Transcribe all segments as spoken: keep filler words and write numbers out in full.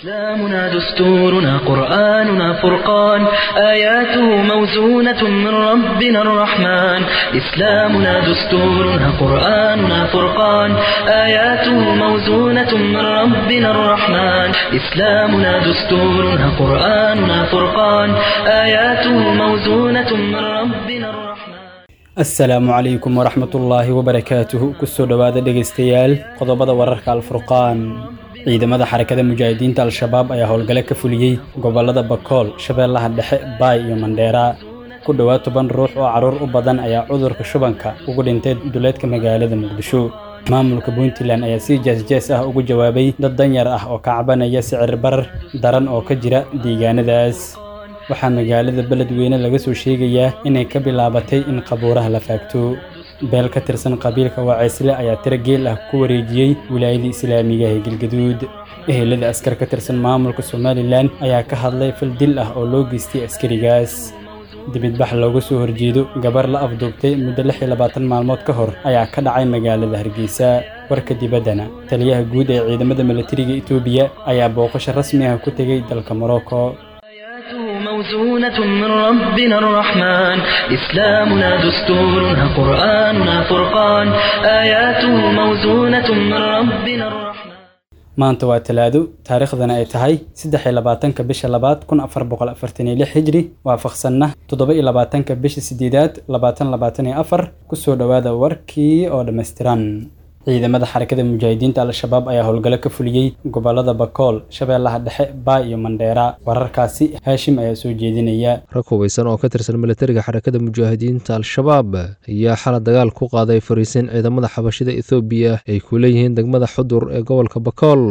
إسلامنا دستورنا قرآننا فرقان آياته موزونة من ربنا الرحمن إسلامنا دستورنا قرآننا فرقان آياته موزونة من ربنا الرحمن إسلامنا دستورنا قرآننا فرقان آياته موزونة من ربنا الرحمن. Asalaamu calaykum waraxmatullaahi wabarakaatuhu. Kusoo dhowaada dhegaystayaal qodobada wararka Alfurqaan. Ciidamada Xarakada Mujaahidiinta Al-Shabaab ayaa howlgale ka fuliyey gobolada Bakool, Shabeellaha Dhexe, Baay iyo Mandheera. Ku dhowaad toban ruux oo carruur u badan ayaa cudurka shubanka ugu dhintay duleedka magaalada Muqdisho. Maamulka Puntland ayaa si jees-jees ah ugu jawaabay dad danyar ah oo ka cabanaya sicir barar daran oo ka jira deegaanadaas. Waxaa magaalada Beledweyne laga soo sheegayaa inay ka bilaabatay in qabuuraha la faagto. Beel ka tirsan qabiilka Waceysle ayaa tiro geel ah ku wareejiyey wilaayada islaamiga ee Galgaduud. Ehelada askar ka tirsan maamulka Somalilan ayaa ka hadlay fal dil ah oo loo geystay askarigaas. Dibadbax looga soo horjeedo gabar la afduubtay muddo lix iyo labaatan maalmood ka hor ayaa ka dhacay magaalada Hargeysa. Warka dibaddana, taliyaha guud ee ciidamada milatariga Itoobiya ayaa booqasho rasmi ah ku tegey dalka Morocco. موزونة من ربنا الرحمن إسلامنا دستورنا قرآننا فرقان آياته موزونة من ربنا الرحمن. Maanta waa Talaado, taariikhdana ay tahay saddex iyo labaatanka bisha labaad kun afar boqol afartan iyo lix hijri, waafaqsanna toddoba iyo labaatanka bisha sideedaad labaatan labaatan iyo afar. Kusoo dhowaada warkii oo dhammaystiran. Ciidamada Xarakada Mujaahidiinta Al-Shabaab ayaa howlgalo ka fuliyey gobolada Bakool, Shabeellaha Dhexe, Baay iyo Mandheera. Wararkaasi Haashim ayaa soo jeedinaya. Rag hubeysan oo ka tirsan milatariga Xarakada Mujaahidiinta Al-Shabaab ayaa xala dagaal ku qaaday fariisin ciidamada xabashida Ethoobiya ay ku leeyihiin degmada Xudur ee gobolka Bakool.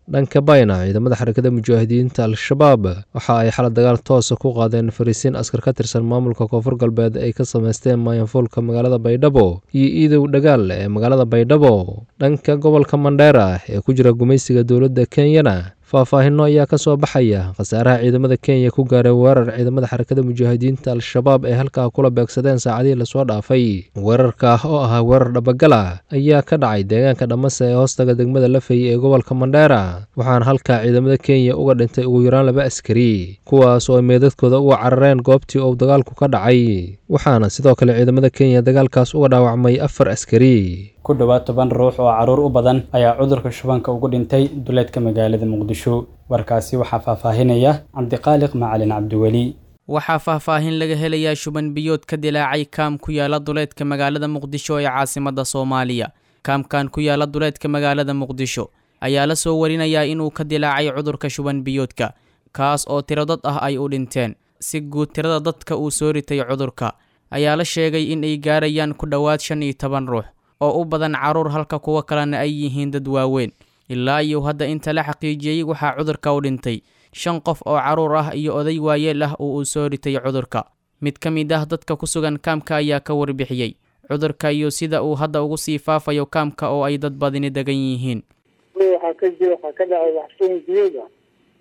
Dhanka Bayna, ciidamada Xarakada Mujaahidiinta Al-Shabaab waxa ay xala dagaal toosa ku qaadeen fariisiin askar ka tirsan maamulka Koonfur Galbeed ay ka sameysteen maayanfuulka magaalada Baydhabo iyo Iidow Dhagaal ee magaalada Baydhabo. Dhanka gobolka Mandheera ee ku jira gumaysiga dowladda Kenyana, faahfaahinno ayaa ka soo baxaya khasaaraha ciidamada Kenya ku gaaray weerar ciidamada Xarakada Mujaahidiinta Al-Shabaab ee halkaa kula beegsadeen saacadihii lasoo dhaafay. Weerarka oo ahaa weerar dhabagala ayaa ka dhacay deegaanka Dhamase ee hoostaga degmada Lafey ee gobolka Mandheera, waxaana halkaa ciidamada Kenya uga dhintay ugu yaraan laba askari, kuwaas oo ay meedadkooda uga carareen goobtii uu dagaalku ka dhacay. Waxaana sidoo kale ciidamada Kenya dagaalkaas uga dhaawacmay afar askari. Ku dhowaad toban ruux oo carruur u badan ayaa cudurka shubanka ugu dhintay duleedka magaalada Muqdisho. Warkaasi waxaa faahfaahinaya Cabdiqaaliq Macalin Cabdiweli. Waxaa faahfaahin laga helayaa shuban biyood ka dilaacay kaam ku yaala duleedka magaalada Muqdisho ee caasimadda Soomaaliya. Kaamkan ku yaala duleedka magaalada Muqdisho ayaa la soo warinayaa inuu ka dilaacay cudurka shuban biyoodka, kaas oo tiro dad ah ay u dhinteen. Si guud tirada dadka uu soo ritay cudurka ayaa la sheegay in ay gaarayaan ku dhowaad shan iyo toban ruux oo u badan carruur, halka kuwa kalena ay yihiin dad waaweyn. Ilaa iyo hadda inta la xaqiijiyey waxaa cudurka u dhintay shan qof oo carruur ah iyo oday waayeel ah oo uu soo ritay cudurka. Mid ka mid ah dadka ku sugan kaamka ayaa ka warbixiyey cudurka iyo sida uu hadda ugu sii faafayo kaamka oo ay dad badani degan yihiin. Waxaa ka jira, waxaa ka dhacay wax shuban biyood ah.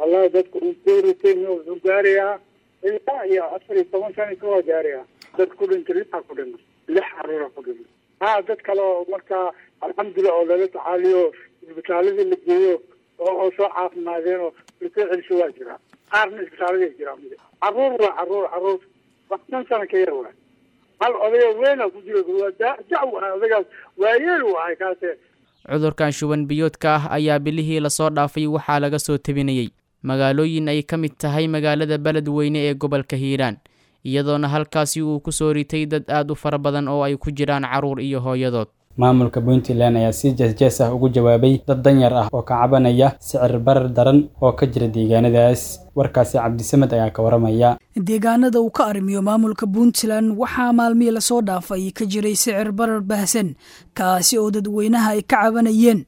Wallahi dadka uu soo ritay wuxuu gaarayaa ilaa iyo afar iyo toban sano ka gaarayaa. Dad ku dhintay lixa ku dhintay, lix carruura ku dhintay. Haa, dad kale oo markaa alxamdulilah oo lala tacaaliyo isbitaaladii la geeyo oo oo soo caafimaadeen oo lasoo celisho waa jiraa. Qaarna isbitaaladay jiraan. Carruur waa carruur, carruur wax shan sano ka yar waay. Hal odayoo weyn ku jiro waa daw ah, odaygaas waayeel waay kaase. Cudurkan shuban biyoodka ah ayaa bilihii lasoo dhaafay waxaa laga soo tebinayey magaalooyin ay ka mid tahay magaalada Beledweyne ee gobolka Hiiraan, iyadoona halkaasi uu ku soo ritay dad aad u fara badan oo ay ku jiraan carruur iyo hooyadood. Maamulka Puntland ayaa si jees-jees ah ugu jawaabay dad danyar ah oo ka cabanaya sicir barar daran oo ka jira deegaanadaas. Warkaasi Cabdisamed ayaa ka waramaya. Deegaanada uu ka arrimiyo maamulka Puntland waxaa maalmihii lasoo dhaafay ka jiray sicir barar baahsan, kaasi oo dadweynaha ay ka cabanayeen.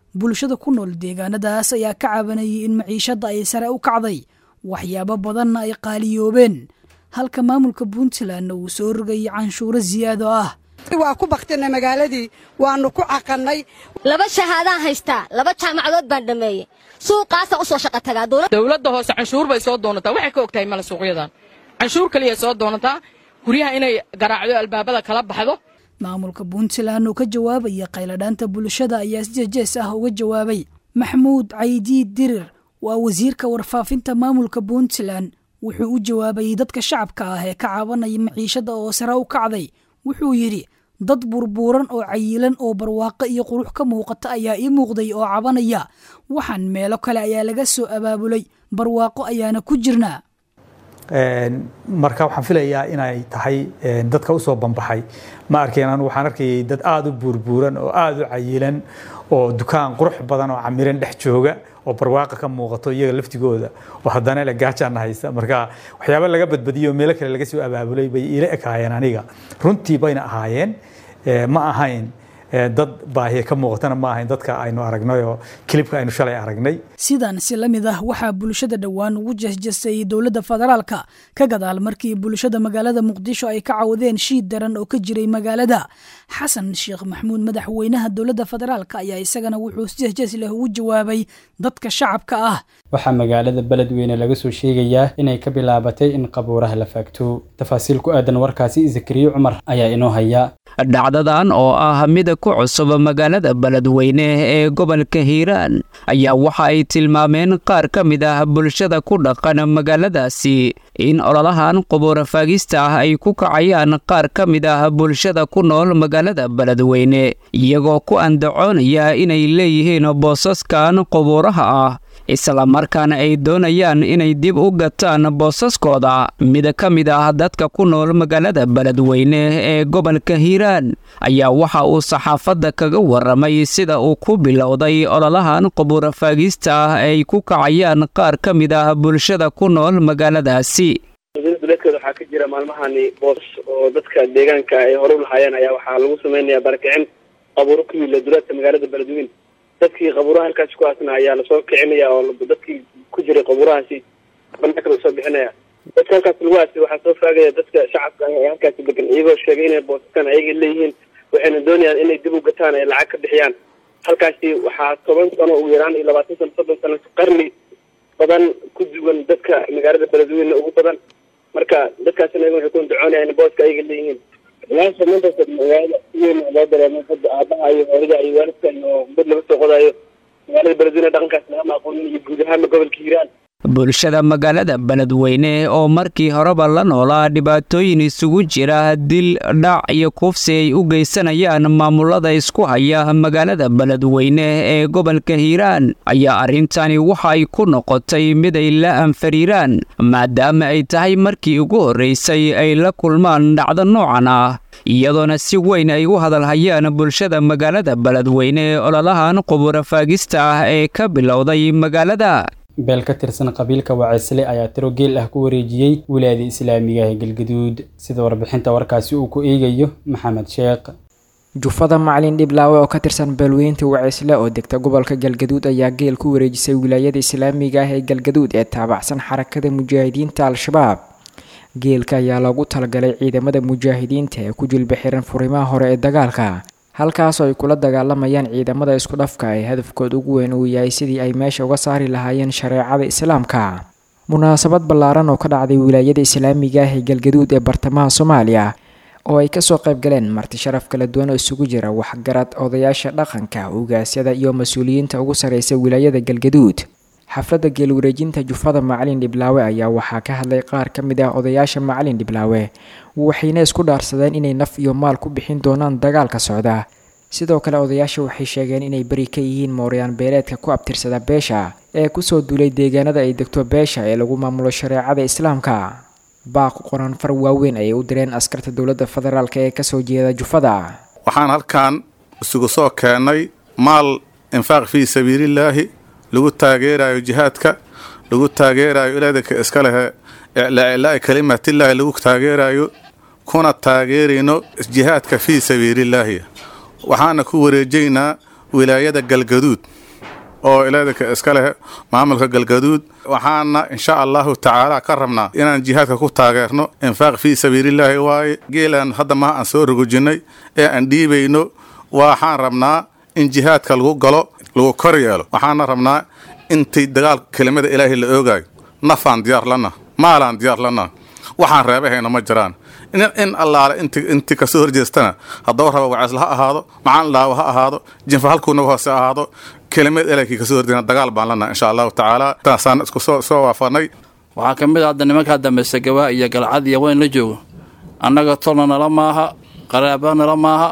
Bulshada ku nool deegaanadaas ayaa ka cabanayay in maciishadda ay sare u kacday, waxyaabo badanna ay qaaliyoobeen, halka maamulka Puntland uu soo rogayay canshuuro siyaado ah. Waa ku baktinay magaaladii, waanu ku caqannay. Laba shahaadaan haystaa, laba jaamacadood baan dhammeeyey, suuqaasaan u soo shaqo tagaa. Dowladda hoose canshuur bay soo doonataa, waxay ka og tahay male suuqyadan canshuur kaliya soo doonataa, guryaha inay garaacdo, albaabada kala baxdo. Maamulka Puntland oo ka jawaabaya qayladhaanta bulshada ayaa si jees ah uga jawaabay. Maxamuud Caydi Dirir Waa wasiirka warfaafinta maamulka Puntland. Wuxuu u jawaabayay dadka shacabka ah ee ka cabanaya maciishada oo sare u kacday. Wuxuu yidhi dad burburan oo cayilan oo barwaaqo iyo qurux ka muuqata ayaa ii muuqday oo cabanaya. Waxaan meelo kale ayaa laga soo abaabulay, barwaaqo ayaana ku jirnaa. Marka waxaan filayaa inay tahay dadka usoo banbaxay ma arkeen. Anu waxaan arkayay dad aada u buurbuuran oo aada u cayilan oo dukaan qurux badan oo camiran dhex jooga oo barwaaqa ka muuqato iyaga laftigooda oo haddana la gaajaana haysa. Marka waxyaaba laga badbadiyey oo meelo kale laga soo abaabulay bay iila ekaayeen aniga, runtii bayna ahaayeen. Ma ahayn dad baahiya ka muuqatana, ma ahayn dadka aynu aragnay oo kilibka aynu shalay aragnay. Sidan si la mid ah waxaa bulshada dhowaan ugu jesjesay dowladda federaalka ka gadaal markii bulshada magaalada Muqdisho ay ka cawadeen shiid daran oo ka jiray magaalada. Xasan Sheekh Maxamuud, madaxweynaha dowladda federaalka, ayaa isagana wuxuu si jesjes leh ugu jawaabay dadka shacabka ah. Waxaa magaalada Beledweyne laga soo sheegayaa inay ka bilaabatay in qabuuraha la faagto. Tafaasiil ku aadan warkaasi Zakariya Cumar ayaa inoo haya. Dhacdadan oo ah mid ku cusub magaalada Beledweyne ee gobolka Hiiraan ayaa waxa ay tilmaameen qaar ka mid ah bulshada ku dhaqan magaaladaasi in ololahan qubuur faagista ah ay ku kacayaan qaar ka mid ah bulshada ku nool magaalada Beledweyne, iyagoo ku andacoonaya inay leeyihiin boosaskan qubuuraha ah, isla markaana ay doonayaan inay dib u gataan boosaskooda. Mid ka mid ah dadka ku nool magaalada Beledweyne ee gobolka Hiiraan ayaa waxa uu saxaafadda kaga waramay sida uu ku bilowday ololahan qubuur faagista ah ay ku kacayaan qaar ka mid ah bulshada ku nool magaaladaasi. Duleedkeeda waxaa ka jira maalmahani boosas oo dadka deegaanka ay hore u lahaayeen ayaa waxaa lagu samaynayaa barakicin qabuuro ku yiila duleedka magaalada Beledweyne. Dadkii qabuuraha halkaasi ku aasna ayaa lasoo kicinaya oo dadkii ku jiray qabuurahaasi banaanka lasoo bixinaya. Dadka halkaasi lagu aasay waxaa soo faagaya dadka shacabka ah ee halkaasi degan, iyagoo sheegay inay boosaskan ayaga leeyihiin, waxayna doonayaan inay dib u gataan ay lacag ka bixiyaan. Halkaasi waxaa toban sano ugu yaraan iyo labaatan sano soddon sano qarni badan ku duwan dadka magaalada Beledweyne ugu badan. Marka dadkaasina iyaga waxay ku andacoonayaan in booska ayaga leeyihiin. Ilaa maanta magaalada si weyn loo dareemay hadda aabaha iyo hooyada iyo waalidka iyo mid laga soo qodayo magaalada Beledweyne dhaqankaas lagama aqoonin iyo guud ahaanba gobolka Hiiraan. Bulshada magaalada Beledweyne oo markii horeba la noolaa dhibaatooyin isugu jira dil, dhac iyo kufsi ay u geysanayaan maamulada isku haya magaalada Beledweyne ee gobolka Hiiraan ayaa arrintani waxa ay ku noqotay mid ay la anfariiraan, maadaama ay tahay markii ugu horreysay ay la kulmaan dhacdo noocan ah, iyadoona si weyn ay u hadalhayaan bulshada magaalada Beledweyne ololahan qubuur faagista ah ee ka bilowday magaalada. Beel ka tirsan qabiilka Wacisle ayaa tiro geel ah ku wareejiyey wilaayada islaamiga ee Galgaduud, sida warbixinta warkaasi uu ku eegayo Maxamed Sheekh. Jufada Macalin Dhiblaawe oo ka tirsan beelweynta Wacisle oo degta gobolka Galgaduud ayaa geel ku wareejisay wilaayada islaamiga ah ee Galgaduud ee taabacsan xarakada mujaahidiinta Al-Shabaab. Geelka ayaa loogu talagalay ciidamada mujaahidiinta ee ku jilba xiran furimaha hore ee dagaalka, halkaasoo ay kula dagaalamayaan ciidamada isku dhafka ee hadafkooda ugu weyn uu yahay sidii ay meesha uga saari lahaayeen shareecada islaamka. Munaasabad ballaaran oo ka dhacday wilaayada islaamiga ah ee Galgaduud ee bartamaha Soomaaliya oo ay kasoo qayb galeen marti sharaf kala duwan oo isugu jira waxgarad, odayaasha dhaqanka, ugaasyada iyo mas-uuliyiinta ugu sareysa wilaayada Galgaduud. Xafladda geel wareejinta jufada Macalin Dhiblaawe ayaa waxaa ka hadlay qaar ka mid ah odayaasha Macalin Dhiblaawe, waxayna isku dhaarsadeen inay naf iyo maal ku bixin doonaan dagaalka socda. Sidoo kale odayaasha waxay sheegeen inay beri ka yihiin mooryaan beeleedka ku abtirsada beesha ee kusoo duulay deegaanada ay degto beesha ee lagu maamulo shareecada islaamka. Baaq qoran far waaweyn ayay u direen askarta dowladda federaalk ee kasoo jeeda jufada. Waxaan halkan isugu soo keennay maal infaaq fii sabiilillaahi lagu taageerayo jihaadka, lagu taageerayo ilaadinka iska lehe iclaa kalimatillaahi lagu taageerayo, kuna taageerayno jihaadka fii sabiilillaahi. Waxaana ku wareejaynaa wilaayada Galgaduud oo ilaadinka iska leh maamulka Galgaduud. Waxaana insha allahu tacaala ka rabnaa inaan jihaadka ku taageerno infaaq fii sabiilillaahi. Waaye geelaan hadda maha aan soo rogojinnay ee aan dhiibayno, waxaan rabnaa in jihaadka lagu galo, lagu kor yeelo. Waxaana rabnaa intii dagaal kelimada ilaahay la oogaayo, nafaan diyaar lana, maalaan diyaar lana, waxaan reebahayna ma jiraan. In allaale inti kasoo horjeestana haddaba raba Waceesle ha ahaado, Macalin Dhaawo ha ahaado, jinfa halkuu naga hoose ahaado, Kelimad ilaahkii kasoo horjeedna dagaal baan lanahay, insha Allahu tacaala. Taasaan isku soo soo waafanay. Waxaa ka mid ah hadda nimankaa dambe Sagawaa iyo Galcad iyo weyn la joogo. Annaga tolna nala maaha, qaraaba nala maaha.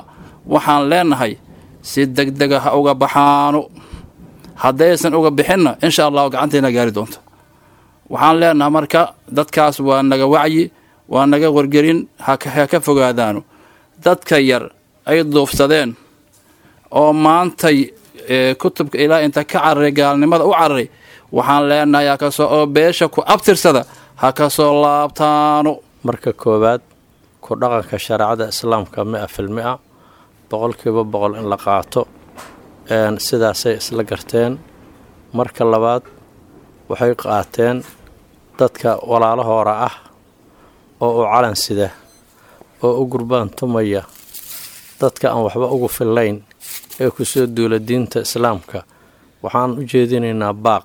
Waxaan leenahay si degdega ha uga baxaano. Haddaysan uga bixinna, insha Allahu gacanteena gaari doonto. Waxaan leenahay marka dadkaas waa naga wacyi, waa naga wargelin, ha ka fogaadaano dadka yar ay duufsadeen oo maantay kutubka ilaa inta ka cararay, gaalnimada u cararay. Waxaan leenahay hakasoo oo beesha ku abtirsada ha ka soo laabtaano. Marka koowaad, ku dhaqanka shareecada Islaamka mia fil mia, boqolkiiba boqol in la qaato, sidaasay isla garteen. Marka labaad, waxay qaateen dadka walaalahoora ah oo u calan sida oo u gurbaan tumaya, dadka aan waxba ugu fillayn ee ku soo duula diinta Islaamka. Waxaan u jeedinaynaa baaq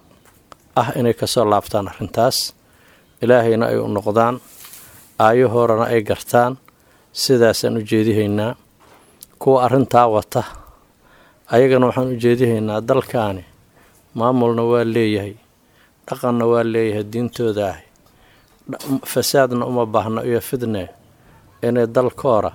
ah inay kasoo laabtaan arrintaas, Ilaahayna ay u noqdaan, aayahoorana ay gartaan. Sidaasaan u jeedihaynaa. Kuwa arrintaa wata ayagana waxaan u jeedihaynaa, dalkaani maamulna waa leeyahay, dhaqanna waa leeyahay diintooda ah, fasaadna uma baahno iyo fidne, inay dalkoora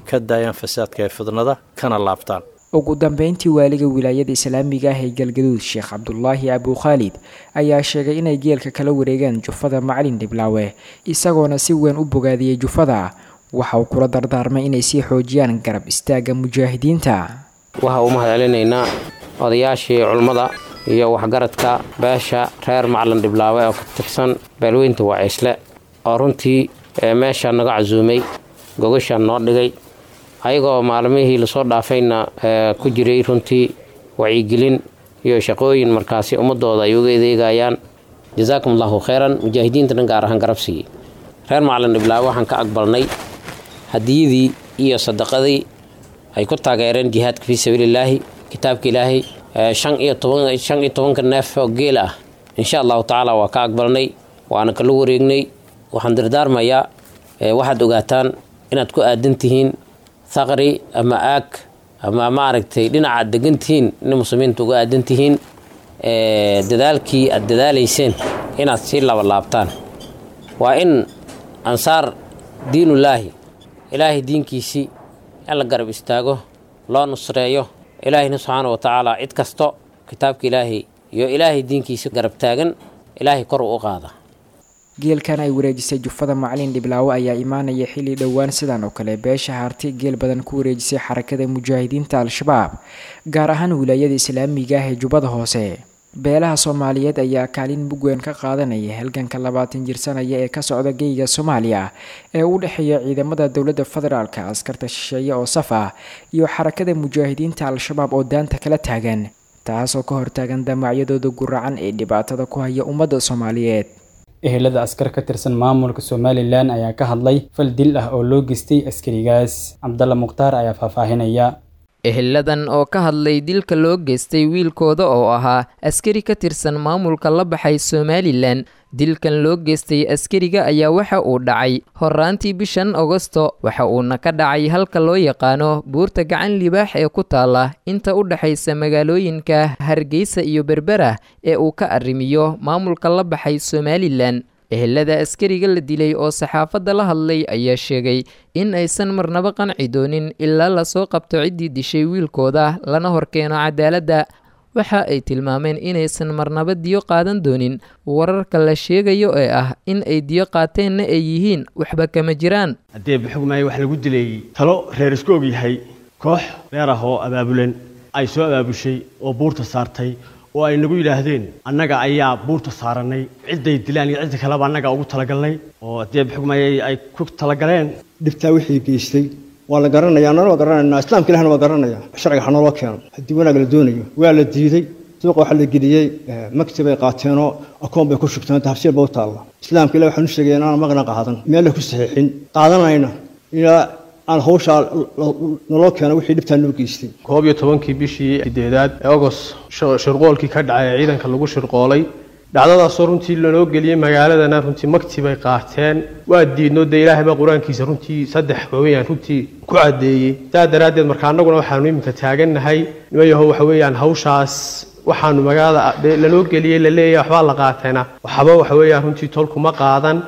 ka daayaan fasaadka ee fidnada kana laabtaan. Ugu dambeyntii, waaliga wilaayada islaamiga ah ee Galgaduud, Sheekh Cabdulaahi Abukhaalid, ayaa sheegay inay geelka kala wareegeen jufada Macalin Dhiblaawe, isagoona si weyn u bogaadiyey jufada. Waxa uu kula dardaarmay inay sii xoojiyaan garab istaagga mujaahidiinta. Waxa uu mahad celinaynaa odayaashii culummada iyo waxgaradka beesha reer Macalin Dhiblaawe oo ka tirsan beelweynta Waciisle, oo runtii meesha naga casuumay, gogasha noo dhigay, ayagoo maalmihii lasoo dhaafayna ku jiray runtii wacyigelin iyo shaqooyin markaasi ummadooda ay uga adeegayaan. Jazaakum Allahu khayran. Mujaahidiinta dhan gaar ahaan garab siiyey reer Macalin Dhiblaawe. Waxaan ka aqbalnay hadiyadii iyo sadaqadii ay ku taageereen jihaadka fii sabiilillaahi, kitaabka Ilaahay, shan iyo toban shan iyo tobanka neef oo geela ah. Insha Allahu tacaala waa ka aqbalnay, waana kala wareegnay. Waxaan dardaarmayaa, waxaad ogaataan inaad ku aadan tihiin thaqri ama aag ama maaragtay dhinaca aad degan tihiin in muslimiinta uga aadan tihiin. Dadaalkii aad dadaalayseen inaad sii labalaabtaan. Waa in ansaar diinullaahi, Ilaahay diinkiisii in la garab istaago, loo nusreeyo. Ilaahayna subxaana wa tacaala cid kasto kitaabka Ilaahay iyo Ilaahay diinkiisi garab taagan, Ilaahay kor u qaada. Geelkan ay wareejisay jufada Macalin Dhiblaawe ayaa imaanaya xilli dhowaan sidan oo kale beesha Harti geel badan ku wareejisay Xarakada Mujaahidiinta Al-Shabaab, gaar ahaan wilaayada islaamiga ah ee Jubbada Hoose. Beelaha Soomaaliyeed ayaa kaalin mug weyn ka qaadanaya halganka labaatan jirsanaya ee ka socda geyga Soomaaliya ee u dhexeeya ciidamada dowladda federaalka, askarta shisheeye oo saf ah iyo Xarakada Mujaahidiinta Al-Shabaab oo daanta kala taagan, taasoo ka hortaagan damacyadooda guracan ee dhibaatada ku haya ummadda Soomaaliyeed. Ehelada askar ka tirsan maamulka Somalilan ayaa ka hadlay fal dil ah oo loo geystay askarigaas. Cabdalla Mukhtaar ayaa faahfaahinaya. Eheladan oo ka hadlay dilka loo geystay wiilkooda oo ahaa askari ka tirsan maamulka la baxay Somalilan. Dilkan loo geystay askariga ayaa waxa uu dhacay horaantii bishan Agosto, waxa uuna ka dhacay halka loo yaqaano Buurta Gacan Libaax ee ku taala inta u dhexaysa magaalooyinka Hargeysa iyo Berbera ee uu ka arrimiyo maamulka la baxay Somalilan. Ehelada askariga la dilay oo saxaafadda la hadlay ayaa sheegay in aysan marnaba qanci doonin ilaa lasoo qabto ciddii dishay wiilkooda, lana horkeeno cadaaladda. Waxa ay tilmaameen inaysan marnaba diyo qaadan doonin, wararka la sheegayo ee ah in ay diyo qaateenna ay yihiin waxba kama jiraan. Haddee baxugmaaya wax lagu dilay talo reer isku og yahay, koox reer ah oo abaabulan ay soo abaabushay oo buurta saartay oo ay nagu yidhaahdeen annaga ayaa buurta saarannay, cidday dilaan iyo cidda kaleba annaga ugu talagalnay, oo haddee baxugmaaya ay ku talagaleen. Dhibtaa wixii geystay waa la garanayaa, annana waa garanaynaa, Islaamka Ilahna waa garanaya. Sharciga ha nooloo keeno haddii wanaag la doonayo. Waa la diiday. Suuqa waxaa la geliyey makti bay qaateenoo akoon bay ku shubteen, tafsiir ba u taalla. Islaamka Ilah waxaan u sheegay inaan maqna qaadan, meel la ku saxiixin qaadanayna ilaa aan hawshaa naloo keeno wixii dhibtaa noo geystay. Koob iyo tobankii bishii sideedaad ee Ogos shirqoolkii ka dhacay ee ciidanka lagu shirqoolay, dhacdadaasoo runtii lanoo geliyey magaaladana, runtii makti bay qaateen, waa diidno. Dee Ilaahay baa qur-aankiisa runtii saddex waaweyaan runtii ku caddeeyey. Saa daraaddeed marka annaguna waxaanu iminka taagannahay, niman yahow, waxa weeyaan hawshaas Waxaanu magaalada lanoo geliyey la leeyahay waxbaa la qaatayna, waxba waxa weeyaan runtii tolkuma qaadan.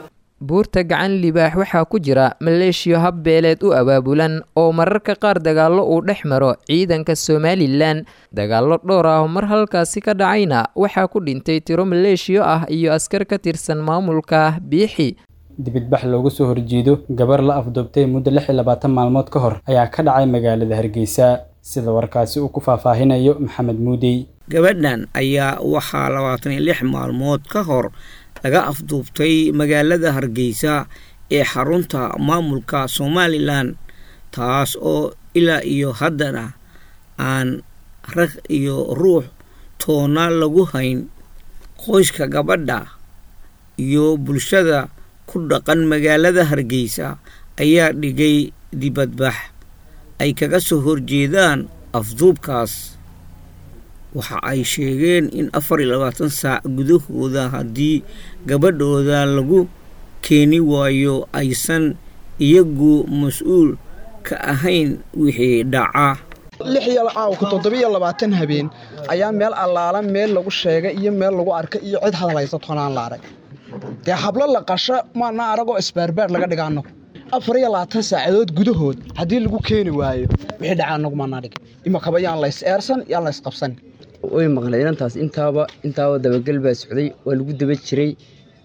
Buurta Gacan Libaax waxaa ku jira maleeshiyo habbeeleed u abaabulan oo mararka qaar dagaallo uu dhex maro ciidanka Somalilan. Dagaallo dhowr ah oo mar halkaasi ka dhacayna waxaa ku dhintay tiro maleeshiyo ah iyo askar ka tirsan maamulka Biixi. Dibadbax looga soo horjeedo gabar la afduubtay muddo lix iyo labaatan maalmood ka hor ayaa ka dhacay magaalada Hargeysa, sida warkaasi uu ku faahfaahinayo Maxamed Muudey. Gabadhan ayaa waxaa labaatan iyo lix maalmood ka hor laga afduubtay magaalada Hargeysa ee xarunta maamulka Somalilan, taas oo ilaa iyo haddana aan rag iyo ruux toona lagu hayn. Qoyska gabadha iyo bulshada ku dhaqan magaalada Hargeysa ayaa dhigay dibadbax ay kaga soo horjeedaan afduubkaas. Waxa ay sheegeen in afar iyo labaatan saac gudahooda haddii gabadhooda lagu keeni waayo aysan iyagu mas-uul ka ahayn wixii dhaca. Lix iyo caawka toddobiyo labaatan habeen ayaa meel allaala meel lagu sheegay iyo meel lagu arkay iyo cid hadal haysa toonaan la arag. Dee hablo la qasho maana aragoo isbaarbaar laga dhiga annagu. Afar iyo labaatan saacadood gudahood haddii lagu keeni waayo wixii dhaca annagu maana dhig. Imakaba yaan la is eersan, yaan la isqabsan. Way maqnayd inantaas, intaaba intaaba dabagal baa socday, waa lagu daba jiray.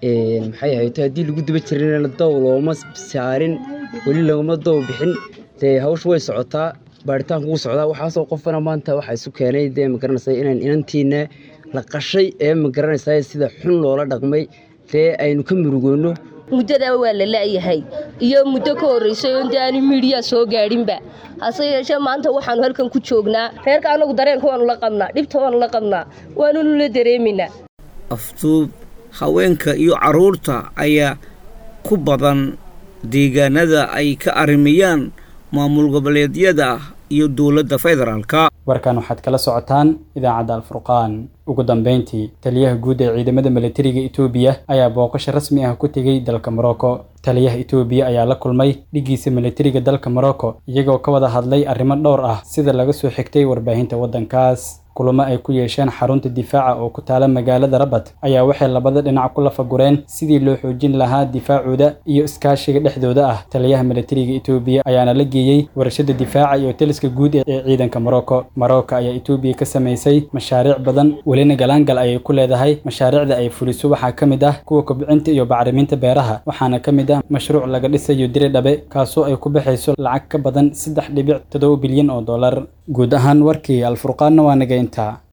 Maxay ahayd, haddii lagu daba jirayna dow looma saarin, weli laguma dow bixin. Dee hawshu way socotaa, baaritaanku wuu socdaa. Waxaasoo qofana maanta waxaa isu keenay dee magaranaysaa inaan inantiina la qashay ee magaranaysaa sida xun loola dhaqmay, dee aynu ka murugoono. Muddadaa waa la la'yahay iyo muddo ka horreysay oo inta aanu miidiya soo gaadhinba. Hase yeeshee maanta waxaanu halkan ku joognaa reerka annagu dareenka waanu la qabnaa, dhibta waanu la qabnaa, waanunu la dareemaynaa. Afduub haweenka iyo carruurta ayaa ku badan deegaanada ay ka arrimiyaan maamul goboleedyada iyo dowladda federaalka. Warkan waxaad kala socotaan idaacadda Alfurqaan. Ugu dambeyntii, taliyaha guud ee ciidamada militariga Itoobiya ayaa booqasho rasmi ah ku tegey dalka Morocco. Taliyaha Itoobiya ayaa la kulmay dhigiisa militariga dalka Morocco, iyagoo ka wada hadlay arrimo dhowr ah sida laga soo xigtay warbaahinta waddankaas. Kulamo ay ku yeesheen xarunta difaaca oo ku taala magaalada Rabat ayaa waxay labada dhinac ku lafagureen sidii loo xoojin lahaa difaacooda iyo iskaashiga dhexdooda ah. Taliyaha militariga Itoobiya ayaana la geeyey warshada difaaca iyo taliska guud ee ciidanka Morocco. Morocco ayaa Itoobiya ka samaysay mashaariic badan, welina galaangal ayay ku leedahay. Mashaariicda ay fuliso waxaa ka mid ah kuwa kobcinta iyo bacriminta beeraha, waxaana ka mid ah mashruuc laga dhisayo Diridhabe, kaasoo ay ku baxayso lacag ka badan saddex dhibic toddoba bilyan oo dollar. Guud ahaan warkii Alfurqaanna waa naga intaa.